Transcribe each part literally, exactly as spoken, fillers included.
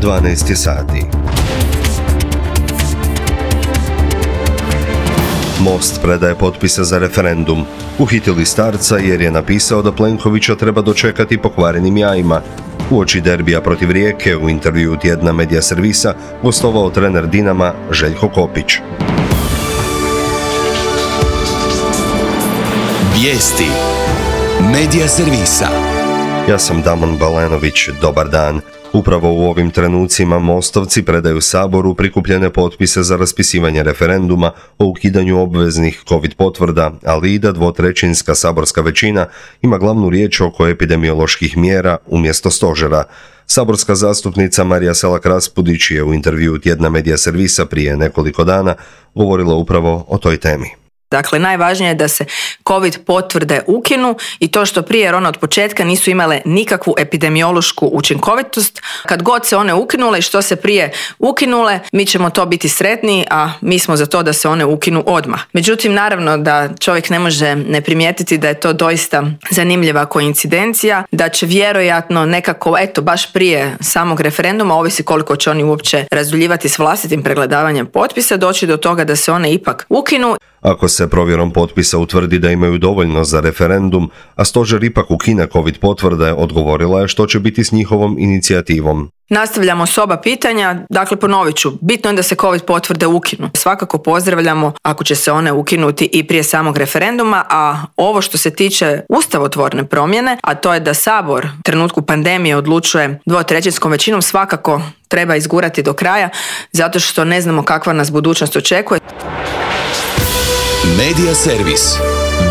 dvanaest je sati. Most predaje potpise za referendum. Uhitili starca jer je napisao da Plenkovića treba dočekati pokvarenim jajima. Uoči derbija protiv Rijeke u intervjuu tjedna Medija servisa gostovao trener Dinama Željko Kopić. Vijesti Medija servisa. Ja sam Damon Balenović, dobar dan. Upravo u ovim trenucima Mostovci predaju Saboru prikupljene potpise za raspisivanje referenduma o ukidanju obveznih COVID potvrda, ali i da dvotrećinska saborska većina ima glavnu riječ oko epidemioloških mjera umjesto stožera. Saborska zastupnica Marija Selak Raspudić je u intervjuu tjedna Medija servisa prije nekoliko dana govorila upravo o toj temi. Dakle, najvažnije je da se COVID potvrde ukinu i to što prije, jer one od početka nisu imale nikakvu epidemiološku učinkovitost. Kad god se one ukinule i što se prije ukinule, mi ćemo to biti sretni, a mi smo za to da se one ukinu odmah. Međutim, naravno da čovjek ne može ne primijetiti da je to doista zanimljiva koincidencija, da će vjerojatno nekako, eto, baš prije samog referenduma, ovisi koliko će oni uopće razduljivati s vlastitim pregledavanjem potpisa, doći do toga da se one ipak ukinu. Ako se provjerom potpisa utvrdi da imaju dovoljno za referendum, a stožer ipak ukine COVID potvrde, odgovorila je što će biti s njihovom inicijativom. Nastavljamo s oba pitanja, dakle ponovit ću, bitno je da se COVID potvrde ukinu. Svakako pozdravljamo ako će se one ukinuti i prije samog referenduma, a ovo što se tiče ustavotvorne promjene, a to je da Sabor u trenutku pandemije odlučuje dvotrećinskom većinom, svakako treba izgurati do kraja, zato što ne znamo kakva nas budućnost očekuje. Medija servis.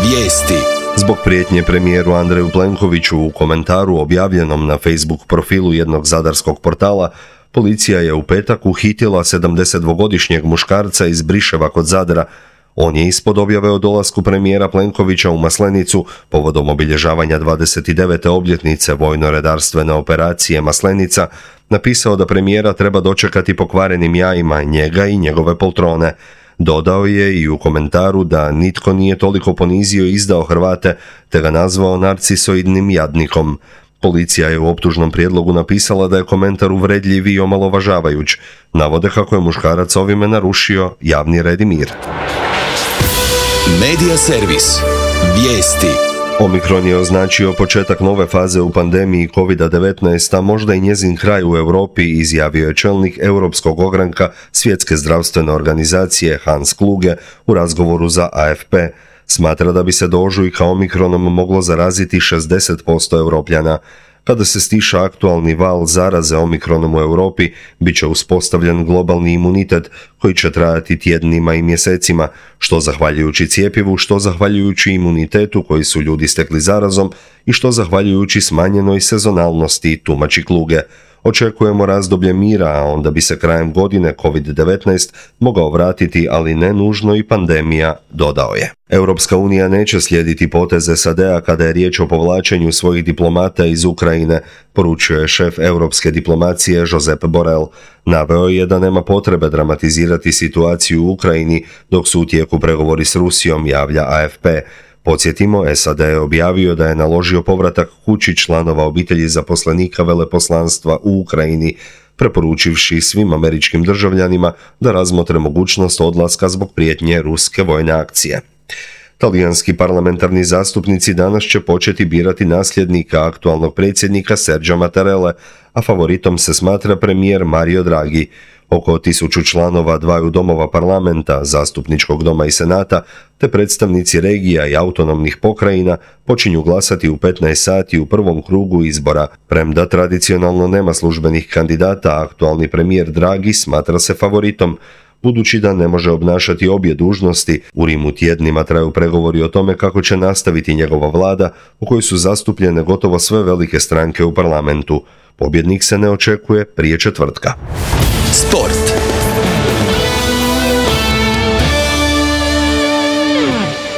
Vijesti. Zbog prijetnje premijeru Andreju Plenkoviću u komentaru objavljenom na Facebook profilu jednog zadarskog portala, policija je u petak uhitila sedamdesetdvogodišnjeg muškarca iz Briševa kod Zadra. On je ispod objave o dolasku premijera Plenkovića u Maslenicu povodom obilježavanja dvadeset devete obljetnice vojno-redarstvene operacije Maslenica napisao da premijera treba dočekati pokvarenim jajima, njega i njegove poltrone. Dodao je i u komentaru da nitko nije toliko ponizio i izdao Hrvate, te ga nazvao narcisoidnim jadnikom. Policija je u optužnom prijedlogu napisala da je komentar uvredljiv i omalovažavajuć. Navode kako je muškarac ovime narušio javni red i mir. Medija servis. Vijesti. Omikron je označio početak nove faze u pandemiji kovid devetnaest, a možda i njezin kraj u Europi, izjavio je čelnik europskog ogranka Svjetske zdravstvene organizacije Hans Kluge u razgovoru za A F P. Smatra da bi se do ožujka omikronom moglo zaraziti šezdeset posto Europljana. Kada se stiša aktualni val zaraze omikronom u Europi, bit će uspostavljen globalni imunitet koji će trajati tjednima i mjesecima, što zahvaljujući cjepivu, što zahvaljujući imunitetu koji su ljudi stekli zarazom i što zahvaljujući smanjenoj sezonalnosti, tumači Kluge. Očekujemo razdoblje mira, a onda bi se krajem godine kovid devetnaest mogao vratiti, ali ne nužno i pandemija, dodao je. Europska unija neće slijediti poteze S A D-a kada je riječ o povlačenju svojih diplomata iz Ukrajine, poručio je šef europske diplomacije Josep Borrell. Naveo je da nema potrebe dramatizirati situaciju u Ukrajini dok su u tijeku pregovori s Rusijom, javlja A F P. Podsjetimo, S A D je objavio da je naložio povratak kući članova obitelji zaposlenika veleposlanstva u Ukrajini, preporučivši svim američkim državljanima da razmotre mogućnost odlaska zbog prijetnje ruske vojne akcije. Talijanski parlamentarni zastupnici danas će početi birati nasljednika aktualnog predsjednika Sergia Mattarelle, a favoritom se smatra premijer Mario Draghi. Oko tisuću članova dvaju domova parlamenta, zastupničkog doma i senata, te predstavnici regija i autonomnih pokrajina počinju glasati u petnaest sati u prvom krugu izbora. Premda tradicionalno nema službenih kandidata, aktualni premijer Draghi smatra se favoritom. Budući da ne može obnašati obje dužnosti, u Rimu tjednima traju pregovori o tome kako će nastaviti njegova vlada, u kojoj su zastupljene gotovo sve velike stranke u parlamentu. Pobjednik se ne očekuje prije četvrtka. Sport.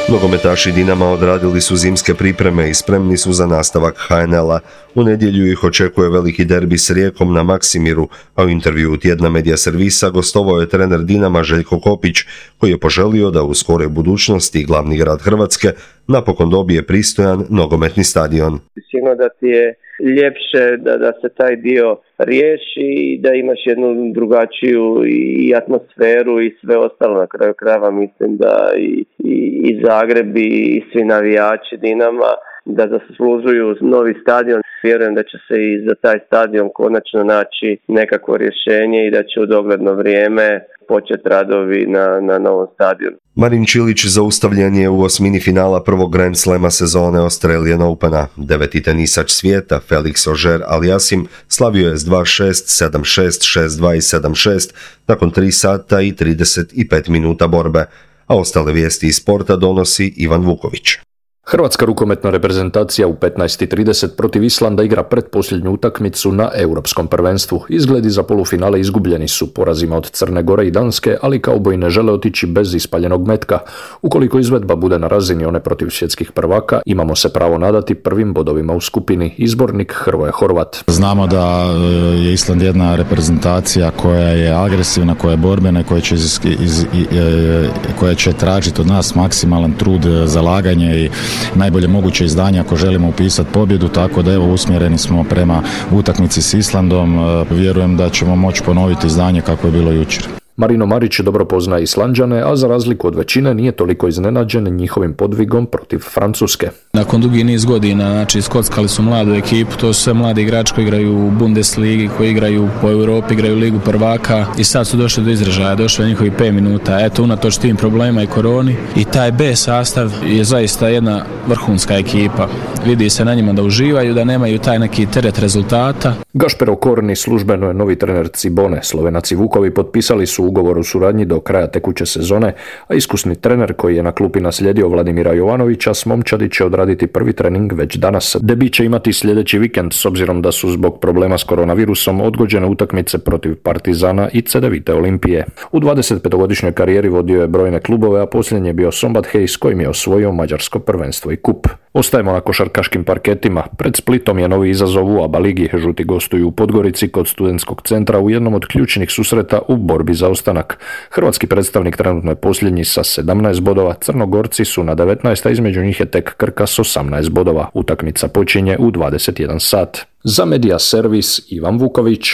Nogometaši Dinama odradili su zimske pripreme i spremni su za nastavak H N L-a. U nedjelju ih očekuje veliki derbi s Rijekom na Maksimiru, a u intervjuu tjedna Medija servisa gostovao je trener Dinama Željko Kopić, koji je poželio da u skoroj budućnosti glavni grad Hrvatske napokon dobije pristojan nogometni stadion. Sigurno da ti je ljepše da, da se taj dio riješi i da imaš jednu drugačiju i atmosferu i sve ostalo. Na kraju krajeva mislim da i, i, i Zagreb i svi navijači Dinama da zaslužuju novi stadion. Vjerujem da će se i za taj stadion konačno naći nekakvo rješenje i da će u dogledno vrijeme početi radovi na, na novom stadionu. Marin Čilić zaustavljen je u osmini finala prvog Grand Slema sezone Australian Opena. Deveti tenisač svijeta Felix Auger-Aliassime slavio je s dva šest, sedam šest, šest dva i sedam šest nakon tri sata i trideset pet minuta borbe, a ostale vijesti iz sporta donosi Ivan Vuković. Hrvatska rukometna reprezentacija u petnaest i trideset protiv Islanda igra pretposljednju utakmicu na Europskom prvenstvu. Izgledi za polufinale izgubljeni su porazima od Crne Gore i Danske, ali kauboji ne žele otići bez ispaljenog metka. Ukoliko izvedba bude na razini one protiv svjetskih prvaka, imamo se pravo nadati prvim bodovima u skupini. Izbornik Hrvoje Horvat. Znamo da je Island jedna reprezentacija koja je agresivna, koja je borbena, koja će, iz, iz, koja će tražiti od nas maksimalan trud, zalaganje i najbolje moguće izdanje ako želimo upisati pobjedu, tako da evo usmjereni smo prema utakmici s Islandom. Vjerujem da ćemo moći ponoviti izdanje kako je bilo jučer. Marino Marić dobro poznaje Islanđane, a za razliku od većine nije toliko iznenađen njihovim podvigom protiv Francuske. Nakon dugi niz godina, znači skockali su mladu ekipu, to su sve mladi igrači koji igraju u Bundesligi, koji igraju po Europi, igraju Ligu prvaka i sad su došli do izražaja, došli do njihovih pet minuta. Eto, unatoč tim problema i koroni i taj B sastav je zaista jedna vrhunska ekipa. Vidi se na njima da uživaju, da nemaju taj neki teret rezultata. Gašper Okorni službeno je novi trener Cibone. Slovenac i Vukovi potpisali su ugovor o suradnji do kraja tekuće sezone, a iskusni trener koji je na klupi naslijedio Vladimira Jovanovića s momčadi će odraditi prvi trening već danas. Debut će imati sljedeći vikend s obzirom da su zbog problema s koronavirusom odgođene utakmice protiv Partizana i Cedevite Olimpije. U dvadesetpetogodišnjoj karijeri vodio je brojne klubove, a posljednji je bio Sombat Hej s kojim je osvojio mađarsko prvenstvo i kup. Ostajemo na košarkaškim parketima. Pred Splitom je novi izazov u ABA ligi. Žuti gostuju u Podgorici kod Studentskog centra u jednom od ključnih susreta u borbi za ostanak. Hrvatski predstavnik trenutno je posljednji sa sedamnaest bodova, Crnogorci su na devetnaest, a između njih je tek Krka s osamnaest bodova. Utakmica počinje u dvadeset jedan sat. Za Medija Servis Ivan Vuković.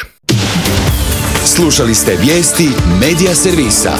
Slušali ste vijesti Medija Servisa.